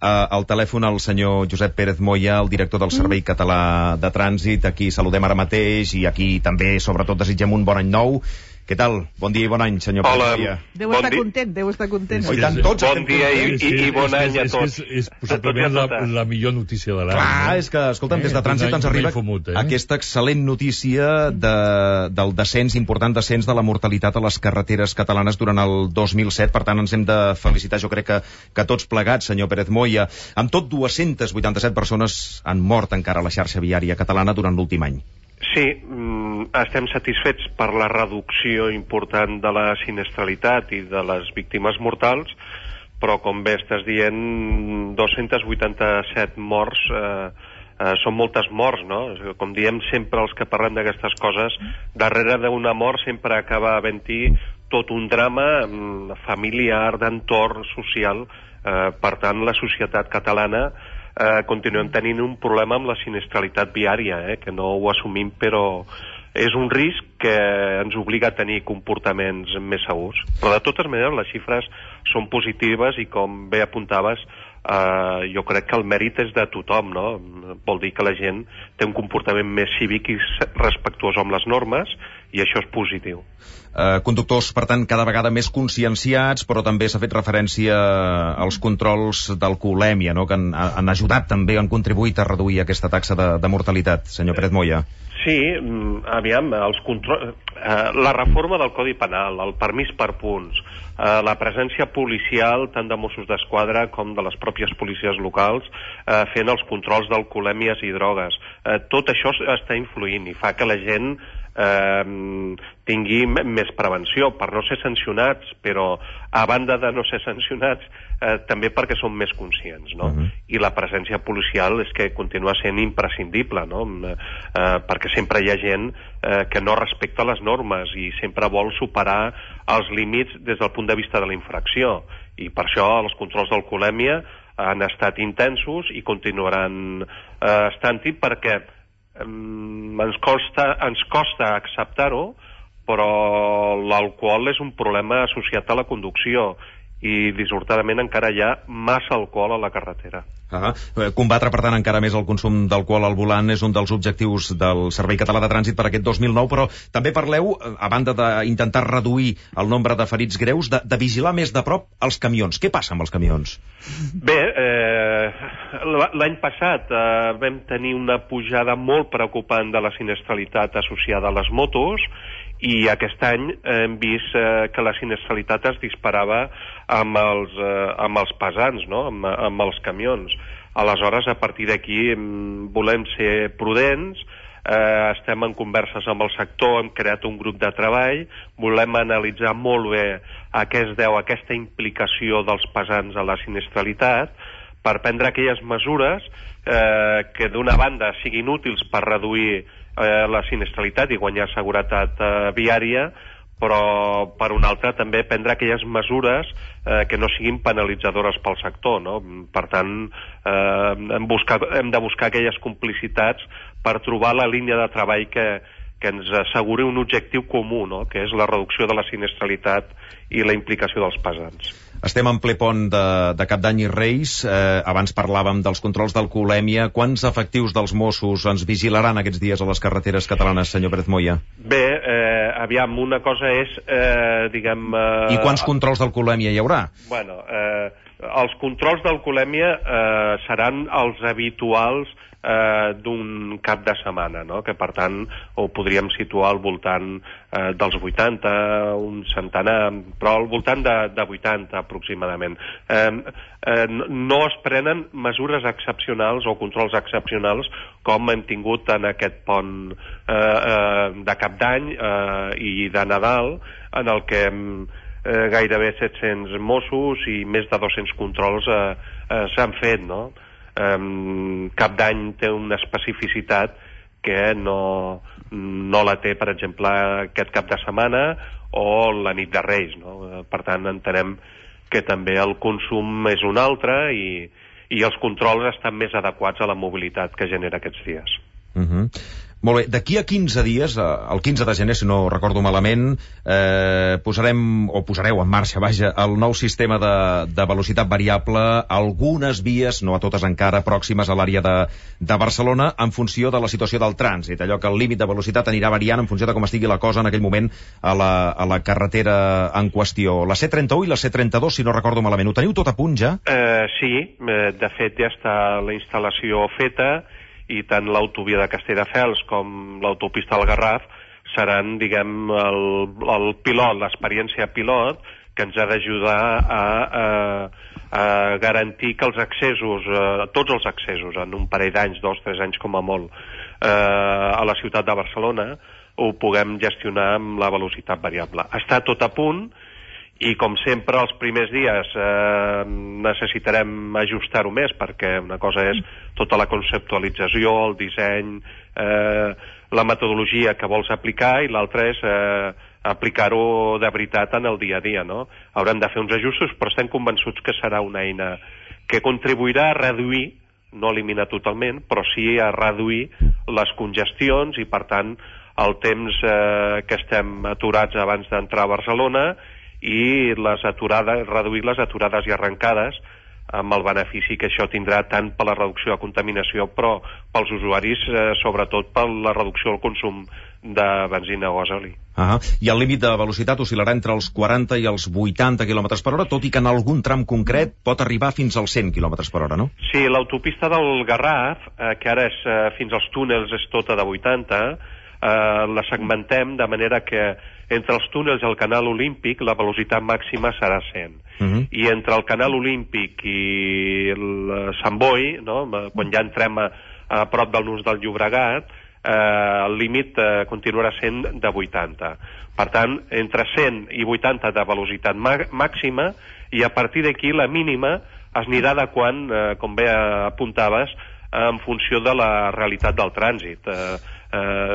al telèfon el senyor Josep Pérez Moya, el director del Servei Català de Trànsit. Aquí saludem ara mateix i aquí també, sobretot, desitgem un bon any nou. Què tal? Bon dia i bon any, senyor Pérez Moya. Deu estar content, deu estar content. I tant, tots bon dia i bon any a tots. És possiblement la millor notícia de l'any. Clar, és que, escolta'm, des de Trànsit ens arriba aquesta excel·lent notícia del descens, important descens de la mortalitat a les carreteres catalanes durant el 2007. Per tant, ens hem de felicitar, jo crec que tots plegats, senyor Pérez Moya. Amb tot, 287 persones han mort encara a la xarxa viària catalana durant l'últim any. Sí, estem satisfets per la reducció important de la sinistralitat i de les víctimes mortals, però com bé estàs dient, 287 morts són moltes morts, no? Com diem sempre els que parlem d'aquestes coses, darrere d'una mort sempre acaba havent-hi tot un drama familiar, d'entorn social. Per tant, la societat catalana continuem tenint un problema amb la sinistralitat viària, que no ho assumim, però és un risc que ens obliga a tenir comportaments més segurs. Però de totes maneres les xifres són positives i, com bé apuntaves, jo crec que el mèrit és de tothom, no? Vol dir que la gent té un comportament més cívic i respectuós amb les normes, i això és positiu. Conductors, per tant, cada vegada més conscienciats, però també s'ha fet referència als controls d'alcoholèmia, no? Que han ajudat també, han contribuït a reduir aquesta taxa de mortalitat, senyor Pérez Moya. Sí, aviam, la reforma del Codi Penal, el permís per punts, la presència policial tant de Mossos d'Esquadra com de les pròpies policies locals fent els controls d'alcoholèmies i drogues. Tot això està influint i fa que la gent tingui més prevenció per no ser sancionats, però a banda de no ser sancionats també perquè són més conscients, no? I la presència policial és que continua sent imprescindible, no? Perquè sempre hi ha gent que no respecta les normes i sempre vol superar els límits des del punt de vista de la infracció, i per això els controls d'alcoholèmia han estat intensos i continuaran estant-hi, perquè ens costa acceptar-ho, però l'alcohol és un problema associat a la conducció i dissortadament encara hi ha massa alcohol a la carretera. Combatre, per tant, encara més el consum d'alcohol al volant és un dels objectius del Servei Català de Trànsit per aquest 2009, però també parleu, a banda d'intentar reduir el nombre de ferits greus, de vigilar més de prop els camions. Què passa amb els camions? Bé, l'any passat vam tenir una pujada molt preocupant de la sinistralitat associada a les motos, i aquest any hem vist que la sinistralitat es disparava amb els pesants, no? Amb els camions. Aleshores, a partir d'aquí volem ser prudents, estem en converses amb el sector, hem creat un grup de treball, volem analitzar molt bé a què es deu aquesta implicació dels pesants a la sinistralitat, per prendre aquelles mesures que d'una banda siguin útils per reduir la sinistralitat i guanyar seguretat viària, però per una altra també prendre aquelles mesures que no siguin penalitzadores pel sector, no? Per tant, hem de buscar aquelles complicitats per trobar la línia de treball que ens asseguri un objectiu comú, no? Que és la reducció de la sinistralitat i la implicació dels pesants. Estem en ple pont de Cap d'Any i Reis. Abans parlàvem dels controls d'alcoholèmia. Quants efectius dels Mossos ens vigilaran aquests dies a les carreteres catalanes, senyor Pérez Moya? Bé, aviam, una cosa és, diguem... I quants controls d'alcoholèmia hi haurà? Bueno, els controls d'alcoholèmia seran els habituals d'un cap de setmana, no? Que per tant ho podríem situar al voltant dels 80, un centenar, però al voltant de 80 aproximadament. No es prenen mesures excepcionals o controls excepcionals com hem tingut en aquest pont de Cap d'Any i de Nadal, en el que gairebé 700 Mossos i més de 200 controls s'han fet, no? Cap d'Any té una especificitat que no la té, per exemple, aquest cap de setmana o la nit de Reis, no? Per tant, entenem que també el consum és un altre i els controls estan més adequats a la mobilitat que genera aquests dies. Molt bé, d'aquí a 15 dies, el 15 de gener, si no recordo malament, posareu en marxa, vaja, el nou sistema de velocitat variable, algunes vies, no a totes encara, pròximes a l'àrea de Barcelona, en funció de la situació del trànsit, allò que el límit de velocitat anirà variant en funció de com estigui la cosa en aquell moment a la carretera en qüestió. La C31 i la C32, si no recordo malament, ho teniu tot a punt ja? Sí, de fet ja està la instal·lació feta, i tant l'autovia de Castelldefels com l'autopista del Garraf seran, diguem, el pilot, l'experiència pilot, que ens ha d'ajudar a garantir que els accessos, tots els accessos, en un parell d'anys, 2-3 anys com a molt, a la ciutat de Barcelona, ho puguem gestionar amb la velocitat variable. Està tot a punt, i com sempre els primers dies necessitarem ajustar-ho més, perquè una cosa és tota la conceptualització, el disseny, la metodologia que vols aplicar, i l'altra és aplicar-ho de veritat en el dia a dia, no? Haurem de fer uns ajustos, però estem convençuts que serà una eina que contribuirà a reduir, no eliminar totalment, però sí a reduir les congestions i, per tant, el temps que estem aturats abans d'entrar a Barcelona, i reduir les aturades i arrencades, amb el benefici que això tindrà tant per la reducció de contaminació, però pels usuaris, sobretot per la reducció del consum de benzina o gasoli. I el límit de velocitat oscil·larà entre els 40 i els 80 km per hora, tot i que en algun tram concret pot arribar fins als 100 km per hora, no? Sí, l'autopista del Garraf, que ara és fins als túnels és tota de 80, la segmentem de manera que entre els túnels i el canal Olímpic la velocitat màxima serà 100. I entre el canal Olímpic i el Sant Boi, no? Quan ja entrem a prop del nus del Llobregat, el límit continuarà sent de 80. Per tant, entre 100 i 80 de velocitat màxima, i a partir d'aquí la mínima es anirà adequant, com bé apuntaves, en funció de la realitat del trànsit.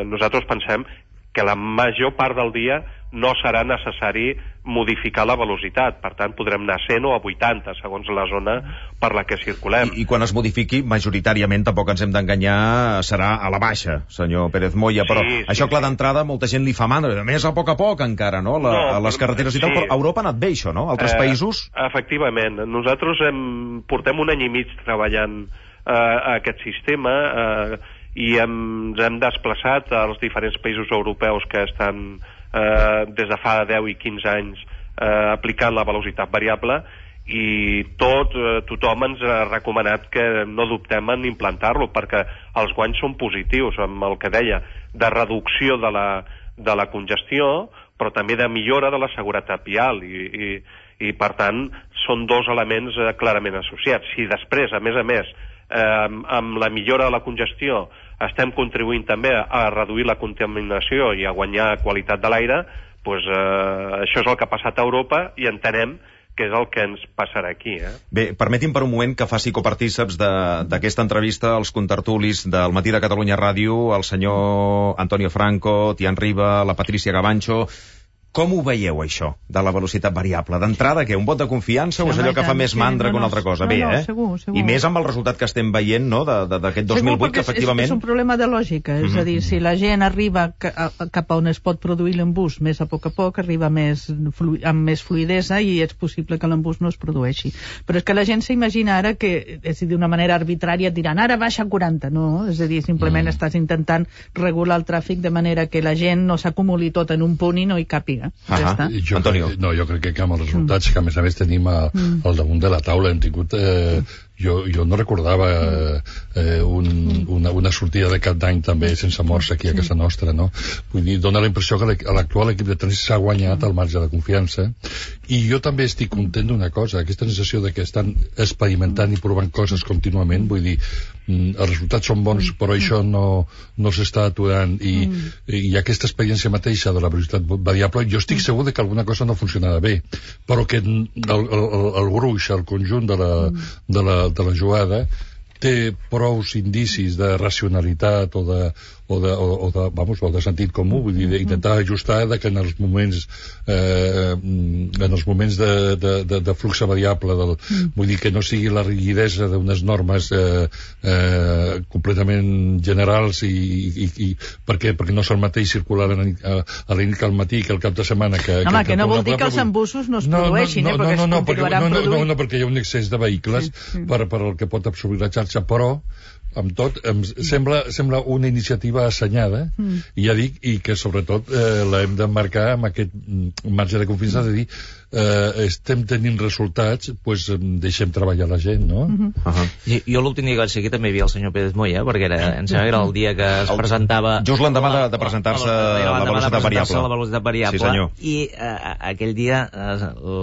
Nosaltres pensem que la major part del dia no serà necessari modificar la velocitat, per tant podrem anar a 100 o a 80 segons la zona per la que circulem. I quan es modifiqui, majoritàriament, tampoc ens hem d'enganyar, serà a la baixa, senyor Pérez Moya, però això clar d'entrada molta gent li fa mandra, a més a poc encara, no? A les carreteres i tal, però a Europa ha anat bé això, no? Altres països? Efectivament, nosaltres portem un any i mig treballant aquest sistema, i ens hem desplaçat als diferents països europeus que estan des de fa 10 i 15 anys aplicant la velocitat variable, i tothom ens ha recomanat que no dubtem en implantar-lo, perquè els guanys són positius, amb el que deia, de reducció de la congestió, però també de millora de la seguretat vial, i per tant són dos elements clarament associats. Si després, a més, amb la millora de la congestió estem contribuint també a reduir la contaminació i a guanyar qualitat de l'aire, doncs això és el que ha passat a Europa, i entenem que és el que ens passarà aquí. Bé, permeti'm per un moment que faci copartíceps d'aquesta entrevista als contertulis del Matí de Catalunya Ràdio, el senyor Antonio Franco, Tian Riba, la Patricia Gavancho. Com ho veieu, això, de la velocitat variable? D'entrada, què? Un vot de confiança o és allò que fa més mandra que una altra cosa? Bé, segur. I més amb el resultat que estem veient, no?, d'aquest 2008, que efectivament... És un problema de lògica, és a dir, si la gent arriba cap a on es pot produir l'embús més a poc, arriba amb més fluidesa, i és possible que l'embús no es produeixi. Però és que la gent s'imagina ara que, és a dir, d'una manera arbitrària, et diran, ara baixa a 40, no? És a dir, simplement estàs intentant regular el tràfic de manera que la gent no s'acumuli tot en un punt i no hi càpiga. Antonio. Jo crec que amb els resultats que a més tenim al damunt de la taula hem tingut... Jo no recordava una sortida de cap d'any també sense morts aquí a casa nostra, no? Vull dir, dona la impressió que l'actual equip de trànsit s'ha guanyat el marge de confiança, i jo també estic content d'una cosa, aquesta sensació de que estan experimentant i provant coses contínuament, vull dir, els resultats són bons, però això no s'està aturant, i aquesta experiència mateixa de la velocitat variable, jo estic segur de que alguna cosa no funcionarà bé, però que el gruix, el conjunt de la jugada té prous indicis de racionalitat o de sentit comú, vull dir, d'intentar ajustar que en els moments de flux variable vull dir que no sigui la rigidesa d'unes normes completament generals i perquè no és el mateix circular a la nit que al matí que al cap de setmana que no vol dir que els embussos no es produeixin, perquè es continuaran produint. No, perquè hi ha un excés de vehicles per el que pot absorbir la xarxa, però amb tot, em sembla una iniciativa assenyada, i ja dic, i que sobretot l'hem d'emmarcar amb aquest marge de confiança de dir estem tenint resultats, doncs deixem treballar la gent, no? Jo l'últim dia que vaig ser aquí també hi havia el senyor Pérez Moya, perquè em sembla que era el dia que es presentava... Just l'endemà de presentar-se la velocitat variable. La velocitat variable. Sí, senyor. I aquell dia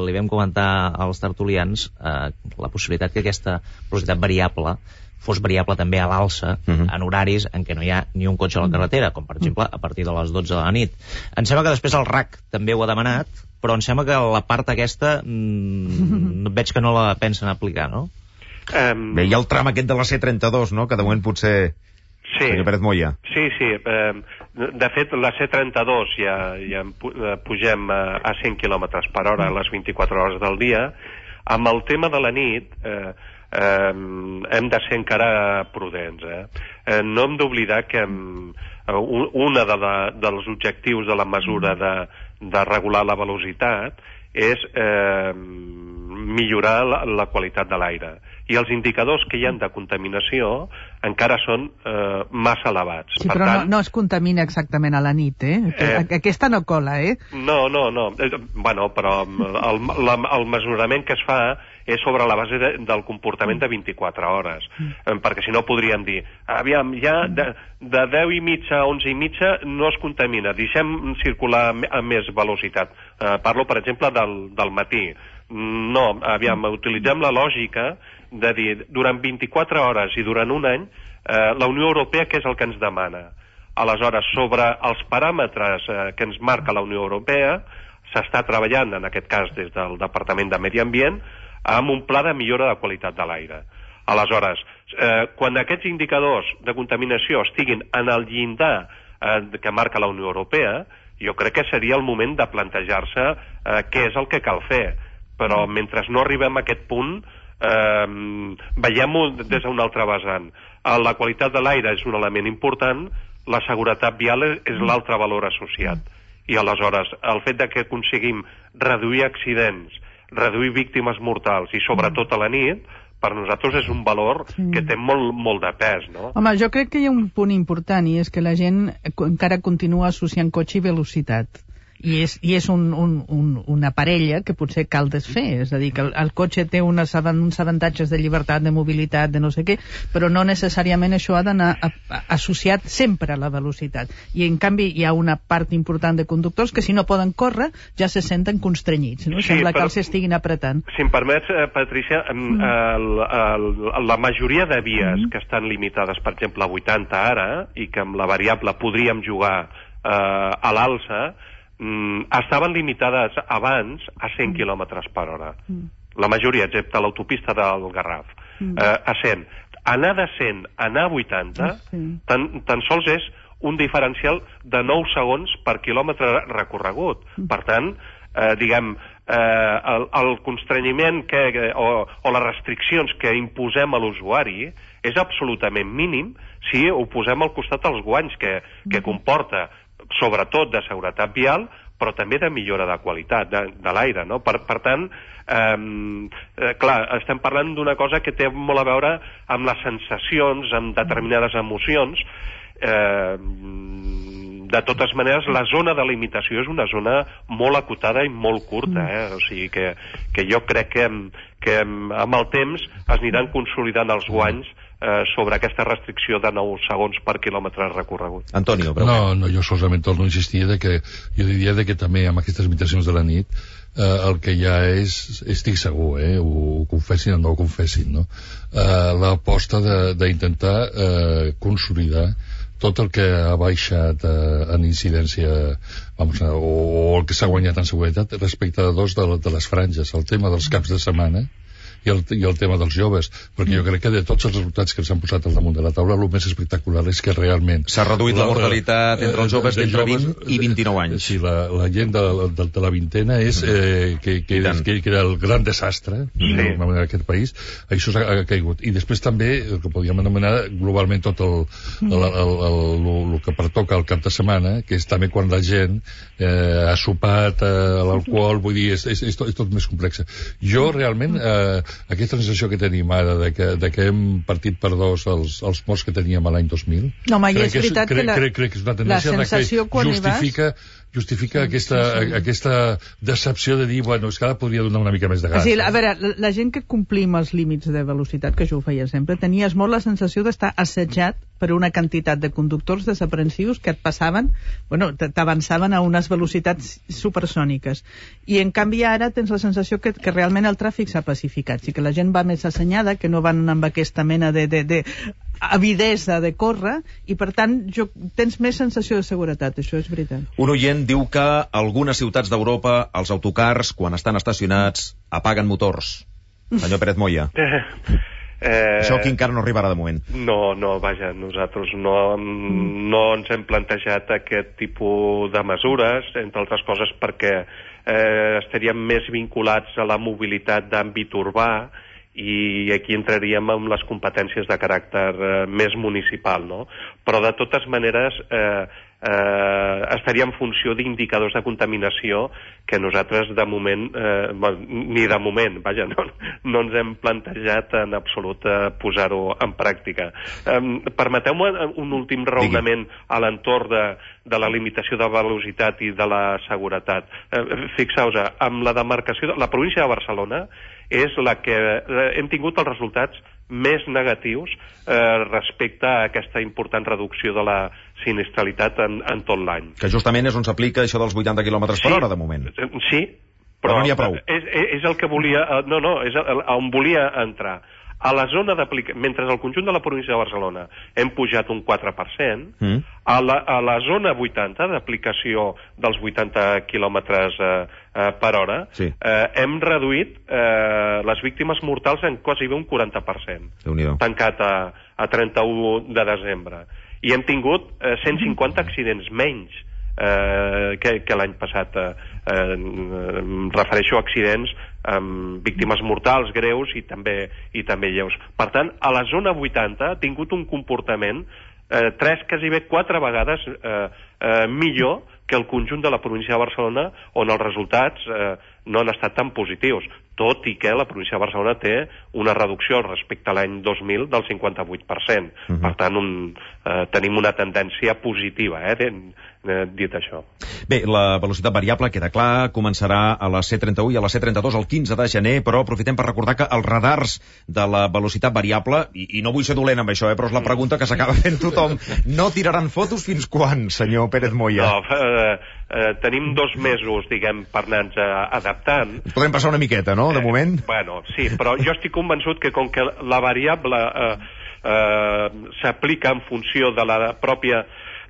li vam comentar als tertulians la possibilitat que aquesta velocitat variable fos variable també a l'alça en horaris en què no hi ha ni un cotxe a la carretera, com per exemple a partir de les 12 de la nit. Em sembla que després el RAC també ho ha demanat, però em sembla que la part aquesta veig que no la pensen aplicar, no? Bé, hi ha el tram aquest de la C32, no?, que de moment potser... Sí. Senyor Pérez Moya. Sí. De fet, la C32 ja pugem a 100 km per hora a les 24 hores del dia. Amb el tema de la nit... hem de ser encara prudents. No hem d'oblidar que un dels objectius de la mesura de regular la velocitat és millorar la qualitat de l'aire. I els indicadors que hi ha de contaminació encara són massa elevats. Sí, però tant, no es contamina exactament a la nit, aquesta no cola, No. Bueno, però el mesurament que es fa és sobre la base del comportament de 24 hores. Perquè si no podríem dir, aviam, ja de 10 i mitja a 11 i mitja no es contamina, deixem circular a més velocitat. Parlo, per exemple, del matí. No, aviam, utilitzem la lògica de dir, durant 24 hores i durant un any, la Unió Europea què és el que ens demana? Aleshores, sobre els paràmetres que ens marca la Unió Europea, s'està treballant, en aquest cas des del Departament de Medi Ambient, amb un pla de millora de qualitat de l'aire. Aleshores, quan aquests indicadors de contaminació estiguin en el llindar que marca la Unió Europea, jo crec que seria el moment de plantejar-se què és el que cal fer. Però mentre no arribem a aquest punt, veiem-ho des d'un altre vessant. La qualitat de l'aire és un element important, la seguretat vial és l'altre valor associat. I aleshores, el fet de que aconseguim reduir accidents, reduir víctimes mortals i sobretot a la nit, per nosaltres és un valor que té molt de pes, no? Home, jo crec que hi ha un punt important i és que la gent encara continua associant cotxe i velocitat. I és una parella que potser cal desfer, és a dir, que el cotxe té uns avantatges de llibertat, de mobilitat, de no sé què, però no necessàriament això ha d'anar associat sempre a la velocitat. I en canvi hi ha una part important de conductors que si no poden córrer ja se senten constrenyits, no? Sembla que els estiguin apretant. Si em permets, Patricia, la majoria de vies que estan limitades, per exemple, a 80 ara, i que amb la variable podríem jugar a l'alça, estaven limitades abans a 100 km per hora. La majoria, excepte l'autopista del Garraf. A 100. Anar de 100 a anar a 80 tan sols és un diferencial de 9 segons per quilòmetre recorregut. Per tant, diguem, el constrenyiment o les restriccions que imposem a l'usuari és absolutament mínim si ho posem al costat dels guanys que comporta, sobretot de seguretat vial, però també de millora de qualitat de l'aire, no? Per tant, clar, estem parlant d'una cosa que té molt a veure amb les sensacions, amb determinades emocions. De totes maneres, la zona de limitació és una zona molt acotada i molt curta, o sigui que jo crec que amb el temps es aniran consolidant els guanys sobre aquesta restricció de 9 segons per quilòmetre recorregut. Antonio, No, jo solament torno a insistir jo diria que també amb aquestes limitacions de la nit el que hi ha estic segur, ho confessin o no ho confessin, no? L'aposta d'intentar consolidar tot el que ha baixat en incidència o el que s'ha guanyat en seguretat respecte a dos de les franges, el tema dels caps de setmana i el tema dels joves, perquè jo crec que de tots els resultats que s'han posat al damunt de la taula, el més espectacular és que realment... S'ha reduït la mortalitat entre els joves d'entre 20 i 29 anys. Sí, la gent de la vintena és que era el gran desastre en aquest país, això ha caigut. I després també, el que podríem anomenar globalment tot el que pertoca al cap de setmana, que és també quan la gent ha sopat l'alcohol, vull dir, és tot més complex. Jo realment, aquesta sensació que tenim ara de que hem partit per dos els morts que teníem a l'any 2000, no, és veritat crec que és una tendència que justifica aquesta decepció de dir, bueno, és que ara podria donar una mica més de gas. A veure, la gent que complim els límits de velocitat, que jo ho feia sempre, tenies molt la sensació d'estar assetjat per una quantitat de conductors desaprensius que et passaven, t'avançaven a unes velocitats supersòniques. I en canvi ara tens la sensació que realment el tràfic s'ha pacificat, i que la gent va més assenyada, que no van amb aquesta mena de avidesa de córrer, i per tant tens més sensació de seguretat, això és veritat. Un oient diu que algunes ciutats d'Europa els autocars, quan estan estacionats, apaguen motors. Senyor Pérez Moya. Això aquí encara no arribarà de moment. No, vaja, nosaltres no ens hem plantejat aquest tipus de mesures, entre altres coses perquè estaríem més vinculats a la mobilitat d'àmbit urbà, i aquí entraríem amb les competències de caràcter més municipal, no? Però de totes maneres estaria en funció d'indicadors de contaminació que nosaltres de moment, ni de moment, vaja, no ens hem plantejat en absolut posar-ho en pràctica. Permeteu-me un últim raonament a l'entorn de la limitació de velocitat i de la seguretat. Fixeu-vos, amb la demarcació, la província de Barcelona és la que hem tingut els resultats més negatius respecte a aquesta important reducció de la sinistralitat en tot l'any. Que justament és on s'aplica això dels 80 km per hora, de moment. Sí, però no n'hi ha prou. És el que volia... és on volia entrar. A la zona d'aplicació, mentre al conjunt de la província de Barcelona hem pujat un 4%, a la zona 80 d'aplicació dels 80 quilòmetres per hora, hem reduït les víctimes mortals en quasi un 40%, tancat a 31 de desembre. I hem tingut 150 accidents menys que l'any passat. Em refereixo a accidents amb víctimes mortals greus i també lleus. Per tant, a la zona 80 ha tingut un comportament 4 vegades millor que el conjunt de la província de Barcelona, on els resultats no han estat tan positius, tot i que la província de Barcelona té una reducció respecte a l'any 2000 del 58%. Per tant, tenim una tendència positiva, dit això. Bé, la velocitat variable queda clar, començarà a la C31 i a la C32 el 15 de gener, però aprofitem per recordar que els radars de la velocitat variable, i no vull ser dolent amb això, però és la pregunta que s'acaba fent tothom, no tiraran fotos fins quan, senyor Pérez Moya? No, tenim 2 mesos, diguem, per anar-nos adaptant. Podem passar una miqueta, no?, de moment? Bueno, sí, però jo estic convençut que com que la variable s'aplica en funció de la pròpia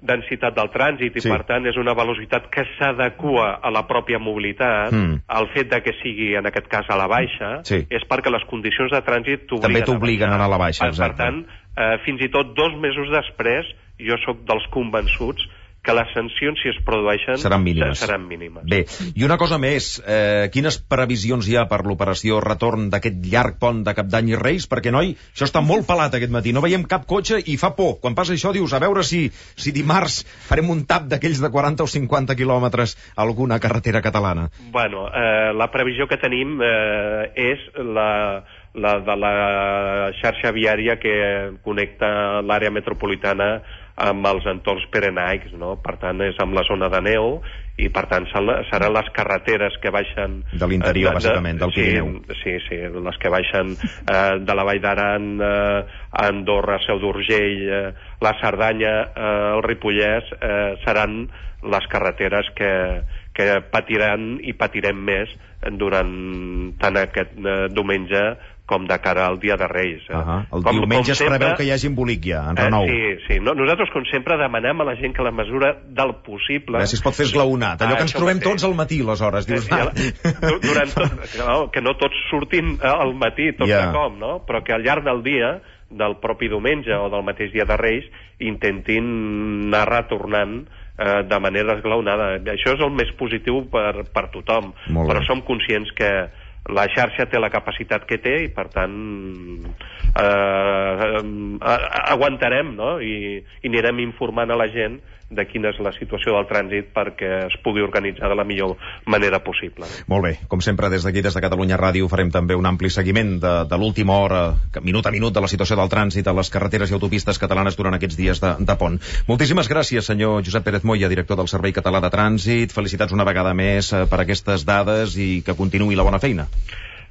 densitat del trànsit i per tant és una velocitat que s'adequa a la pròpia mobilitat, el fet de que sigui en aquest cas a la baixa és perquè les condicions de trànsit t'obliguen a anar a la baixa. Per tant, fins i tot 2 mesos després jo sóc dels convençuts que les sancions, si es produeixen, seran mínimes. Bé, i una cosa més, quines previsions hi ha per l'operació retorn d'aquest llarg pont de Cap d'Any i Reis? Perquè, noi, això està molt pelat aquest matí, no veiem cap cotxe i fa por. Quan passa això dius, a veure si dimarts farem un tap d'aquells de 40 o 50 quilòmetres a alguna carretera catalana. Bueno, la previsió que tenim és la de la xarxa viària que connecta l'àrea metropolitana amb els entorns pirenaics, no? Per tant, és amb la zona de neu i, per tant, seran les carreteres que baixen... De l'interior, bàsicament, del Pirineu. Sí, les que baixen de la Vall d'Aran, Andorra, Seu d'Urgell, la Cerdanya, el Ripollès, seran les carreteres que patiran i patirem més durant tant aquest diumenge com de cara al Dia de Reis. El diumenge es preveu que hi hagi embolic ja, en renou. Sí. Nosaltres, com sempre, demanem a la gent que la mesura del possible... Si es pot fer esglaonat, allò que ens trobem tots al matí, aleshores, dius... Que no tots surtin al matí, tot de com, no? Però que al llarg del dia, del propi diumenge o del mateix Dia de Reis, intentin anar retornant de manera esglaonada. Això és el més positiu per tothom, però som conscients que la xarxa té la capacitat que té i, per tant, aguantarem, no? I anirem informant a la gent de quina és la situació del trànsit perquè es pugui organitzar de la millor manera possible. Molt bé. Com sempre, des d'aquí, des de Catalunya Ràdio, farem també un ampli seguiment de l'última hora, minut a minut, de la situació del trànsit a les carreteres i autopistes catalanes durant aquests dies de pont. Moltíssimes gràcies, senyor Josep Pérez Moya, director del Servei Català de Trànsit. Felicitats una vegada més per aquestes dades i que continuï la bona feina.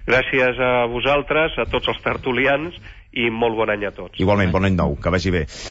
Gràcies a vosaltres, a tots els tertulians, i molt bon any a tots. Igualment, bon any nou, que vagi bé.